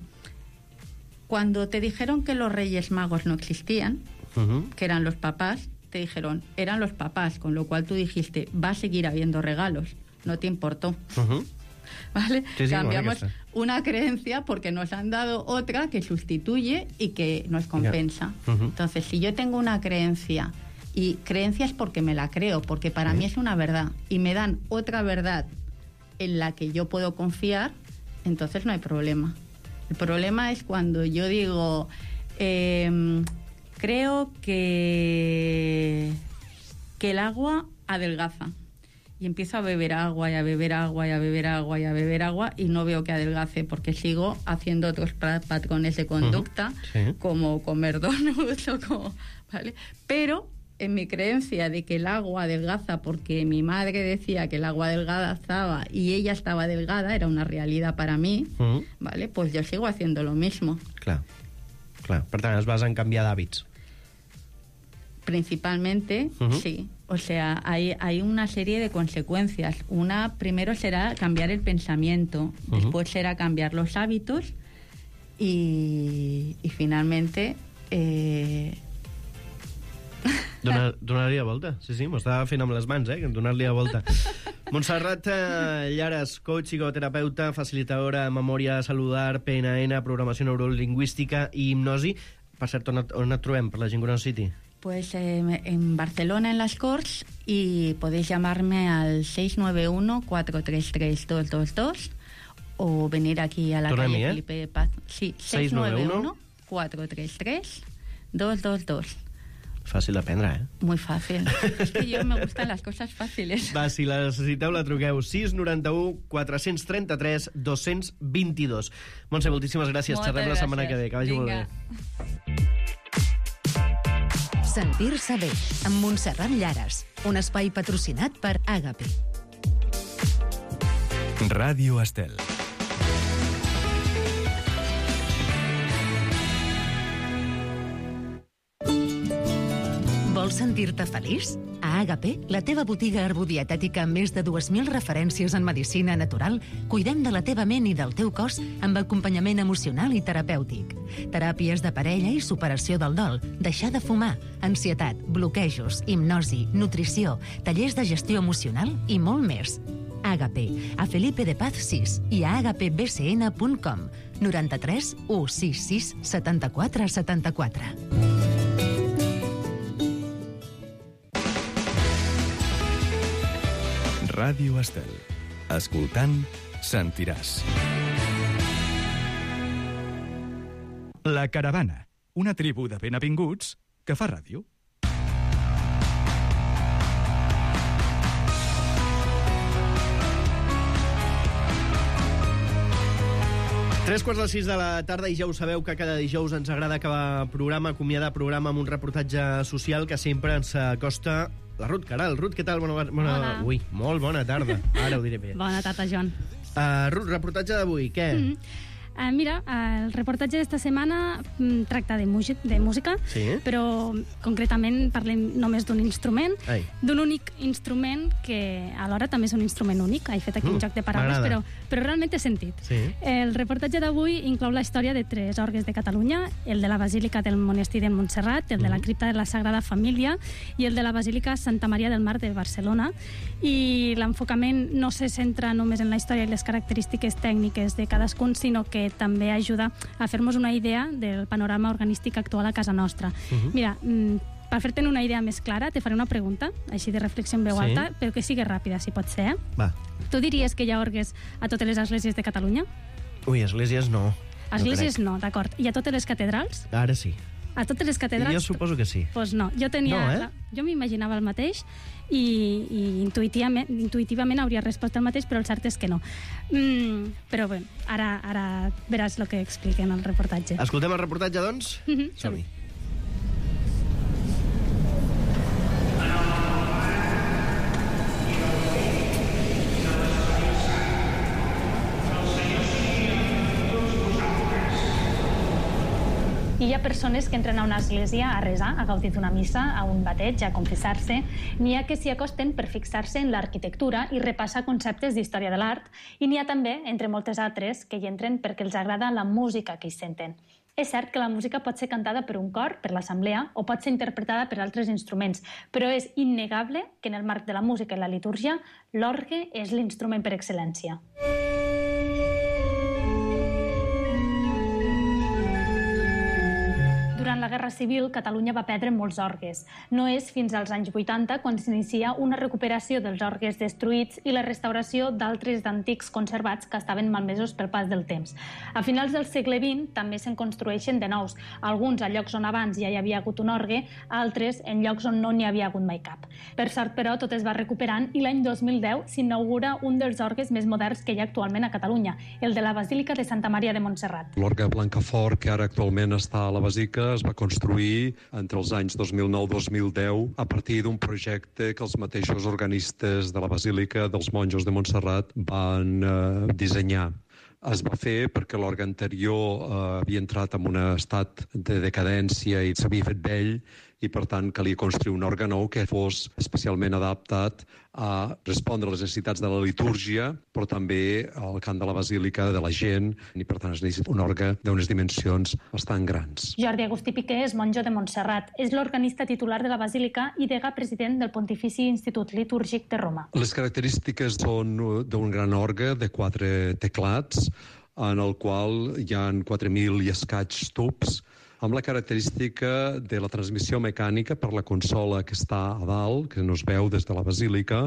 cuando te dijeron que los Reyes Magos no existían, uh-huh. que eran los papás, te dijeron, eran los papás, con lo cual tú dijiste, va a seguir habiendo regalos, no te importó. Uh-huh. ¿Vale? Sí, sí, cambiamos bueno, una creencia porque nos han dado otra que sustituye y que nos compensa. Yeah. Uh-huh. Entonces, si yo tengo una creencia, y creencia es porque me la creo, porque para uh-huh. mí es una verdad, y me dan otra verdad en la que yo puedo confiar, entonces no hay problema. El problema es cuando yo digo, eh, creo que, que el agua adelgaza. Y empiezo a beber agua y a beber agua y a beber agua y a beber agua y no veo que adelgace porque sigo haciendo otros patrones de conducta, uh-huh. sí. como comer donuts o como... ¿vale? Pero en mi creencia de que el agua adelgaza porque mi madre decía que el agua adelgazaba y ella estaba delgada, era una realidad para mí, uh-huh. ¿vale? Pues yo sigo haciendo lo mismo. Clar, clar. Per tant, es basa en canviar d'hàbits. Principalmente, uh-huh. sí. O sea, hay, hay una serie de consecuencias. Una, primero será cambiar el pensamiento, uh-huh. después será cambiar los hábitos y, y finalmente... Eh... Donar, donar-li la volta. Sí, sí, m'ho estava fent amb les mans, eh? Donar-li la volta. Montserrat eh, Llares, coach, psicoterapeuta, facilitadora de memòria celular, P N N, programació neurolingüística i hipnosi. Per cert, on et, on et trobem, per la gent que no citi? Pues eh, en Barcelona, en las Corts, y podéis llamarme al seis nueve uno, cuatro tres tres, dos dos dos o venir aquí a la Torna calle mi, eh? Felipe de Paz. Sí, seis nueve uno, cuatro tres tres, dos dos dos. Fàcil d'aprendre, eh? Muy fácil. Es que yo me gustan las cosas fáciles. Va, si la necessiteu, la truqueu. sis nou u, quatre tres tres, dos dos dos. Montse, moltíssimes gràcies. Moltes Xerrem la setmana gràcies. que ve. Que vagi Vinga. molt bé. Sentir-se bé, amb Montserrat Llares. Un espai patrocinat per Àgape. Ràdio Estel. Vols sentir-te feliç? A Àgape, la teva botiga herbodietètica amb més de dues mil referències en medicina natural, cuidem de la teva ment i del teu cos amb acompanyament emocional i terapèutic. Teràpies de parella i superació del dol, deixar de fumar, ansietat, bloquejos, hipnosi, nutrició, tallers de gestió emocional i molt més. Àgape, a Felipe de Paz sis i a àgape be ce ene punt com. noranta-tres, u, sis sis, setanta-quatre, setanta-quatre. Ràdio Estel. Escoltant, sentiràs. La Caravana, una tribu de benavinguts que fa ràdio. Tres quarts de sis de la tarda i ja ho sabeu que cada dijous ens agrada acabar programa, acomiadar programa amb un reportatge social que sempre ens acosta la Ruth Caral. Ruth, què tal? Bona, bona... Hola. Ui, molt bona tarda. Ara ho diré bé. Bona tarda, Joan. Uh, Ruth, reportatge d'avui, què? Mm -hmm. Uh, mira, uh, el reportatge d'esta setmana mm, tracta de, de música, sí? Però concretament parlem només d'un instrument, Ai. d'un únic instrument que alhora també és un instrument únic. He fet aquí mm, un joc de paraules, però, però realment té sentit. Sí. El reportatge d'avui inclou la història de tres orgues de Catalunya, el de la Basílica del Monestir de Montserrat, el de la Cripta de la Sagrada Família i el de la Basílica Santa Maria del Mar de Barcelona. I l'enfocament no se centra només en la història i les característiques tècniques de cadascun, sinó que també ajuda a fer-nos una idea del panorama organístic actual a casa nostra. Uh-huh. Mira, per fer-te'n una idea més clara, te faré una pregunta, així de reflexió en veu sí? alta, però que sigui ràpida, si pot ser. Eh? Va. Tu diries que hi ha orgues a totes les esglésies de Catalunya? Ui, esglésies no. Esglésies no, no, d'acord. I a totes les catedrals? Ara sí. A totes les catedrals? Jo suposo que sí. Doncs pues no, jo tenia... No, eh? la... Jo m'imaginava el mateix i, i intuïtivament, intuïtivament hauria respost el mateix, però el cert és que no. Mm, però bé, ara, ara veràs el que expliquen al reportatge. Escoltem el reportatge, doncs? Mm-hmm. Som-hi. I hi ha persones que entren a una església a resar, a gaudir d'una missa, a un bateig, a confessar-se. N'hi ha que s'hi acosten per fixar-se en l'arquitectura i repassar conceptes d'història de l'art. I n'hi ha també, entre moltes altres, que hi entren perquè els agrada la música que hi senten. És cert que la música pot ser cantada per un cor, per l'assemblea, o pot ser interpretada per altres instruments, però és innegable que en el marc de la música i la litúrgia, l'orgue és l'instrument per excel·lència. Durant la Guerra Civil, Catalunya va perdre molts orgues. No és fins als anys vuitanta quan s'inicia una recuperació dels orgues destruïts i la restauració d'altres d'antics conservats que estaven malmesos pel pas del temps. A finals del segle vint també se'n construeixen de nous, alguns a llocs on abans ja hi havia hagut un orgue, altres en llocs on no n'hi havia hagut mai cap. Per sort, però, tot es va recuperant i l'any dos mil deu s'inaugura un dels orgues més moderns que hi ha actualment a Catalunya, el de la Basílica de Santa Maria de Montserrat. L'orgue Blancafort, que ara actualment està a la Basílica, es va construir entre els anys dos mil nou i dos mil deu a partir d'un projecte que els mateixos organistes de la Basílica dels Monjos de Montserrat van eh, dissenyar. Es va fer perquè l'orgue anterior eh, havia entrat en un estat de decadència i s'havia fet vell i, per tant, calia construir un orgue nou que fos especialment adaptat a respondre a les necessitats de la litúrgia, però també al cant de la basílica, de la gent, i, per tant, es necessita un orgue d'unes dimensions bastant grans. Jordi Agustí Piqué és monjo de Montserrat. És l'organista titular de la basílica i degà president del Pontifici Institut Litúrgic de Roma. Les característiques són d'un gran orgue de quatre teclats, en el qual hi ha quatre mil i escaig tubs, amb la característica de la transmissió mecànica per la consola que està a dalt, que no es veu des de la basílica,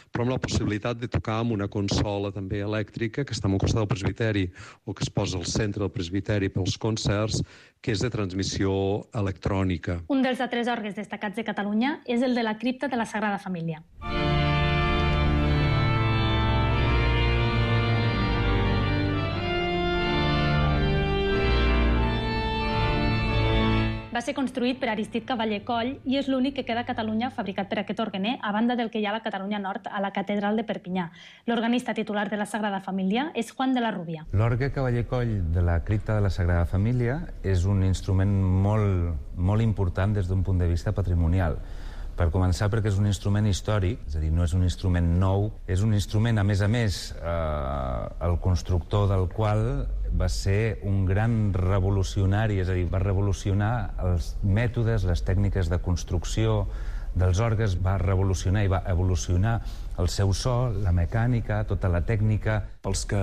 però amb la possibilitat de tocar amb una consola també elèctrica que està al costat del presbiteri o que es posa al centre del presbiteri pels concerts, que és de transmissió electrònica. Un dels altres orgues destacats de Catalunya és el de la Cripta de la Sagrada Família. Va ser construït per Aristide Cavaller Coll i és l'únic que queda a Catalunya fabricat per aquest orguener, a banda del que hi ha a la Catalunya Nord, a la Catedral de Perpinyà. L'organista titular de la Sagrada Família és Juan de la Rubia. L'orgue Cavaller Coll de la Cripta de la Sagrada Família és un instrument molt, molt important des d'un punt de vista patrimonial. Per començar, perquè és un instrument històric, és a dir, no és un instrument nou, és un instrument, a més a més, eh, el constructor del qual va ser un gran revolucionari, és a dir, va revolucionar els mètodes, les tècniques de construcció dels orgues, va revolucionar i va evolucionar el seu so, la mecànica, tota la tècnica. Els que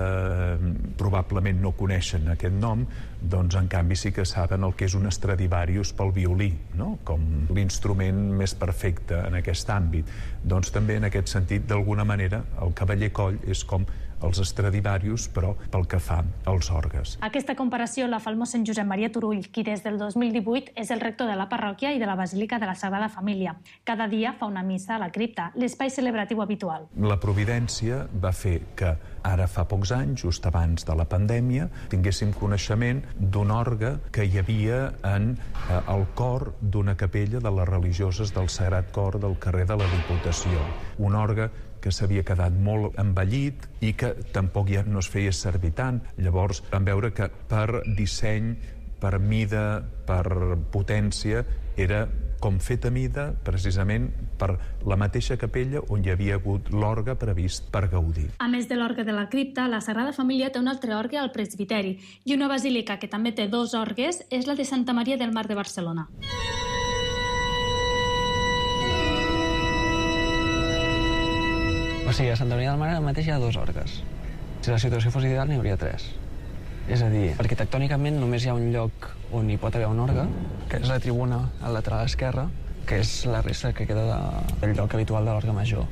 probablement no coneixen aquest nom, doncs en canvi sí que saben el que és un Stradivarius pel violí, no? Com l'instrument més perfecte en aquest àmbit. Doncs també en aquest sentit, d'alguna manera, el Cavaller Coll és com els Stradivarius, però pel que fa als orgues. Aquesta comparació la fa el mossèn Josep Maria Turull, qui des del dos mil divuit és el rector de la parròquia i de la Basílica de la Sagrada Família. Cada dia fa una missa a la cripta, l'espai celebratiu habitual. La providència va fer que ara fa pocs anys, just abans de la pandèmia, tinguéssim coneixement d'un orgue que hi havia en eh, el cor d'una capella de les religioses del Sagrat Cor del carrer de la Diputació. Un orgue que s'havia quedat molt envellit i que tampoc ja no es feia servir tant. Llavors vam veure que per disseny, per mida, per potència, era com fet a mida precisament per la mateixa capella on hi havia hagut l'orgue previst per gaudir. A més de l'orgue de la cripta, la Sagrada Família té un altre orgue al presbiteri i una basílica que també té dos orgues és la de Santa Maria del Mar de Barcelona. O sigui, a Santa Maria del Mar ara mateix hi ha dos orgues. Si la situació fos ideal, n'hi hauria tres. És a dir, arquitectònicament només hi ha un lloc on hi pot haver un orgue, que és la tribuna al lateral esquerre, que és la resta que queda de, del lloc habitual de l'orgue major.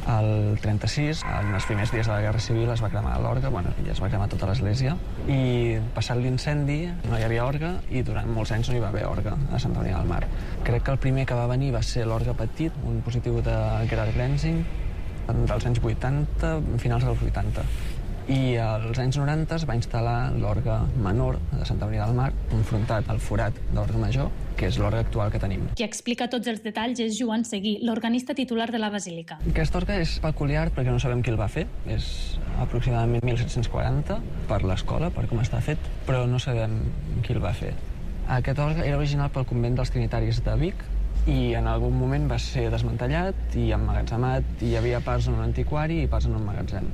Al trenta-sis, en els primers dies de la Guerra Civil, es va cremar l'orgue, bueno, ja es va cremar tota l'església, i passat l'incendi no hi havia orgue i durant molts anys no hi va haver orgue a Santa Maria del Mar. Crec que el primer que va venir va ser l'orgue petit, un positiu de Gerard Glensing, dels anys vuitanta, finals dels vuitanta. I als anys noranta es va instal·lar l'orgue menor de Santa Maria del Mar, enfrontat al forat de l'orgue major, que és l'orgue actual que tenim. Qui explica tots els detalls és Joan Seguí, l'organista titular de la Basílica. Aquest orgue és peculiar perquè no sabem qui el va fer. És aproximadament mil set-cents quaranta per l'escola, per com està fet, però no sabem qui el va fer. Aquest orgue era original pel convent dels Trinitaris de Vic, i en algun moment va ser desmantellat i emmagatzemat, i hi havia parts en un antiquari i parts en un magatzem.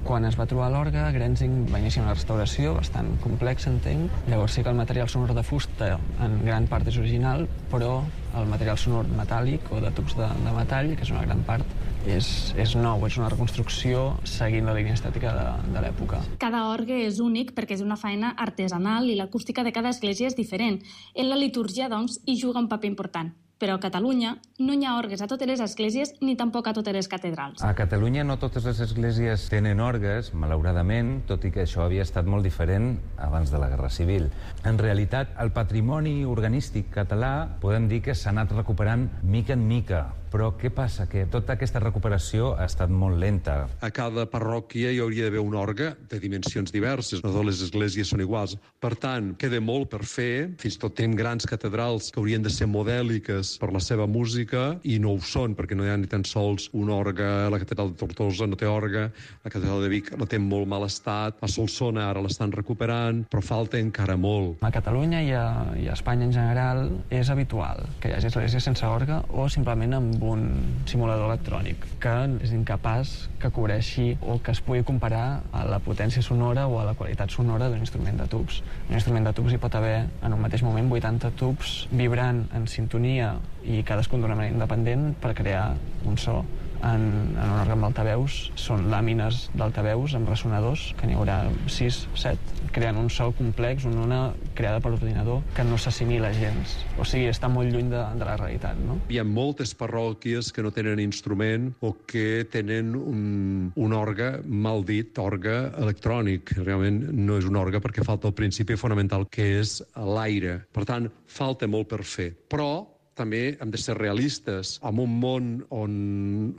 Quan es va trobar l'orgue, Glensing va iniciar una restauració bastant complexa, entenc. Llavors sí que el material sonor de fusta en gran part és original, però el material sonor metàl·lic o de tubs de, de metall, que és una gran part, és, és nou, és una reconstrucció seguint la línia estètica de, de l'època. Cada orgue és únic perquè és una feina artesanal i l'acústica de cada església és diferent. En la litúrgia, doncs, hi juga un paper important. Però a Catalunya no hi ha orgues a totes les esglésies ni tampoc a totes les catedrals. A Catalunya no totes les esglésies tenen orgues, malauradament, tot i que això havia estat molt diferent abans de la Guerra Civil. En realitat, el patrimoni organístic català podem dir que s'ha anat recuperant mica en mica, però què passa? Que tota aquesta recuperació ha estat molt lenta. A cada parròquia hi hauria d'haver un orgue de dimensions diverses, no totes les esglésies són iguals. Per tant, queda molt per fer, fins i tot tenim grans catedrals que haurien de ser modèliques per la seva música i no ho són, perquè no hi ha ni tan sols un orgue. La catedral de Tortosa no té orgue, la catedral de Vic la té en molt mal estat, a Solsona ara l'estan recuperant, però falta encara molt. A Catalunya i a, i a Espanya en general és habitual que hi hagi esglésies sense orgue o simplement amb un simulador electrònic que és incapaç que cobreixi o que es pugui comparar a la potència sonora o a la qualitat sonora d'un instrument de tubs. Un instrument de tubs hi pot haver en un mateix moment vuitanta tubs vibrant en sintonia i cadascun d'una manera independent per crear un so. En, en un orgue amb altaveus són làmines d'altaveus amb ressonadors, que n'hi haurà sis, set, creant un so complex, una ona creada per ordinador que no s'assimila gens. O sigui, està molt lluny de, de la realitat, no? Hi ha moltes parròquies que no tenen instrument o que tenen un, un orgue, mal dit, orgue electrònic. Realment no és un orgue perquè falta el principi fonamental, que és l'aire. Per tant, falta molt per fer. Però també hem de ser realistes. En un món on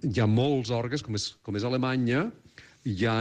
hi ha molts orgues, com és, com és Alemanya, hi ha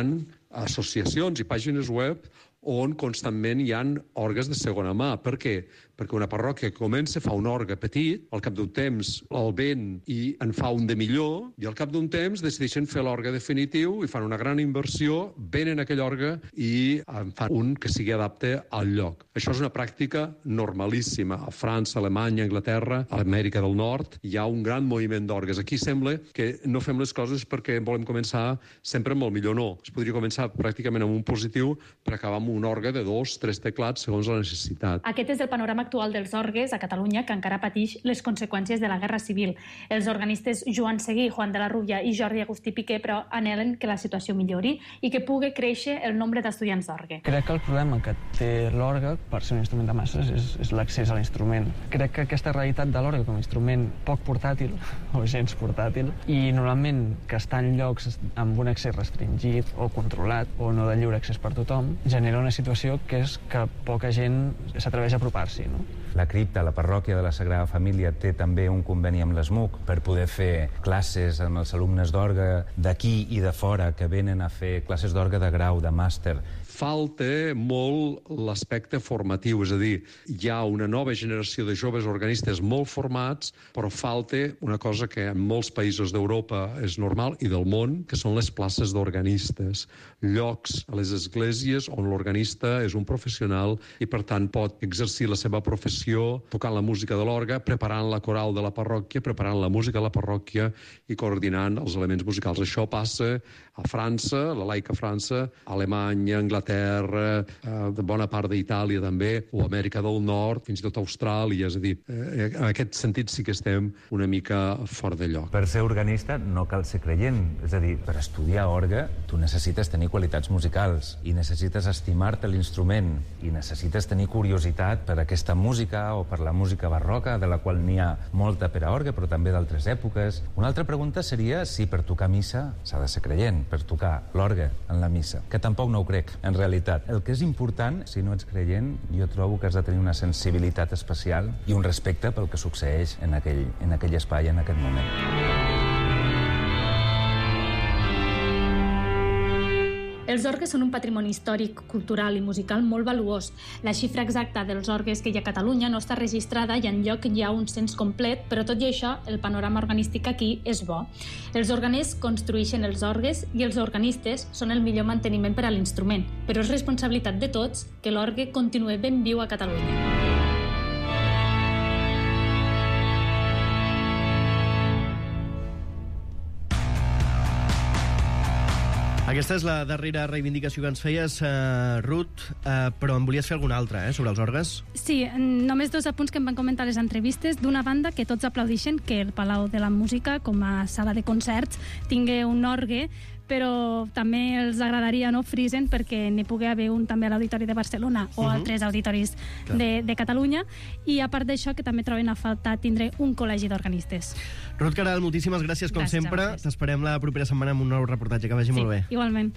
associacions i pàgines web on constantment hi ha orgues de segona mà. Per què? Perquè una parròquia que comença fa un orgue petit, al cap d'un temps el vent i en fa un de millor, i al cap d'un temps decideixen fer l'orgue definitiu i fan una gran inversió, venen aquell orgue i en fan un que sigui adapte al lloc. Això és una pràctica normalíssima. A França, Alemanya, Anglaterra, a Amèrica del Nord, hi ha un gran moviment d'orgues. Aquí sembla que no fem les coses perquè volem començar sempre amb el millor. No. Es podria començar pràcticament amb un positiu per acabar amb un orgue de dos, tres teclats segons la necessitat. Aquest és el panorama actual dels orgues a Catalunya, que encara pateix les conseqüències de la Guerra Civil. Els organistes Joan Seguí, Juan de la Rubia i Jordi Agustí Piqué, però, anhelen que la situació millori i que pugui créixer el nombre d'estudiants d'orgue. Crec que el problema que té l'orgue, per ser un instrument de masses, és, és l'accés a l'instrument. Crec que aquesta realitat de l'orgue com a instrument poc portàtil, o gens portàtil, i normalment que està en llocs amb un accés restringit o controlat o no de lliure accés per tothom, genera una situació que és que poca gent s'atreveix a apropar-s'hi, no? La cripta, la parròquia de la Sagrada Família, té també un conveni amb l'ESMUC per poder fer classes amb els alumnes d'orgue d'aquí i de fora que venen a fer classes d'orgue de grau, de màster. Falta molt l'aspecte formatiu, és a dir, hi ha una nova generació de joves organistes molt formats, però falta una cosa que en molts països d'Europa és normal i del món, que són les places d'organistes. Llocs a les esglésies on l'organista és un professional i, per tant, pot exercir la seva professió tocant la música de l'orgue, preparant la coral de la parròquia, preparant la música de la parròquia i coordinant els elements musicals. Això passa a França, la laica França, a Alemanya, Anglaterra, eh, de bona part d'Itàlia també, o Amèrica del Nord, fins i tot Austràlia. És a dir, eh, en aquest sentit sí que estem una mica fora de lloc. Per ser organista no cal ser creient. És a dir, per estudiar orgue tu necessites tenir qualitats musicals i necessites estimar-te l'instrument i necessites tenir curiositat per aquesta música o per la música barroca, de la qual n'hi ha molta per a orgue, però també d'altres èpoques. Una altra pregunta seria si per tocar missa s'ha de ser creient, per tocar l'orgue en la missa, que tampoc no ho crec, en realitat. El que és important, si no ets creient, jo trobo que has de tenir una sensibilitat especial i un respecte pel que succeeix en aquell, en aquell espai, en aquest moment. Els orgues són un patrimoni històric, cultural i musical molt valuós. La xifra exacta dels orgues que hi ha a Catalunya no està registrada i enlloc hi ha un cens complet, però tot i això, el panorama organístic aquí és bo. Els organers construeixen els orgues i els organistes són el millor manteniment per a l'instrument, però és responsabilitat de tots que l'orgue continuï ben viu a Catalunya. Aquesta és la darrera reivindicació que ens feies, uh, Ruth, uh, però en volies fer alguna altra, eh, sobre els orgues? Sí, només dos apunts que em van comentar a les entrevistes. D'una banda, que tots aplaudixen que el Palau de la Música, com a sala de concerts, tingui un orgue, però també els agradaria, no, frisen perquè n'hi pugui haver un també a l'Auditori de Barcelona o uh-huh. altres auditoris de, de Catalunya, i a part d'això que també troben a faltar tindre un col·legi d'organistes. Ruth Caral, moltíssimes gràcies com gràcies, sempre. gràcies. T'esperem la propera setmana amb un nou reportatge. Que vagi sí, molt bé. Igualment.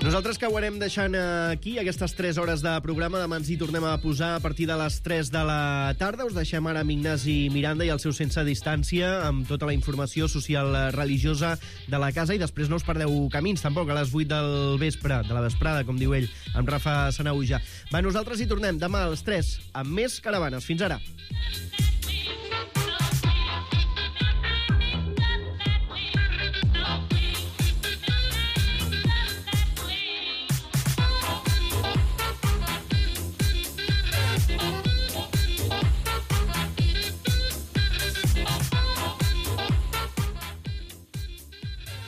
Nosaltres que ho anem deixant aquí, aquestes tres hores de programa. Demà ens hi tornem a posar a partir de les tres de la tarda. Us deixem ara amb Ignasi Miranda i el seu Sense Distància, amb tota la informació social religiosa de la casa, i després no us perdeu Camins, tampoc, a les vuit del vespre, de la vesprada, com diu ell, amb Rafa Sanauja. Va, nosaltres hi tornem demà a les tres, amb més caravanes. Fins ara.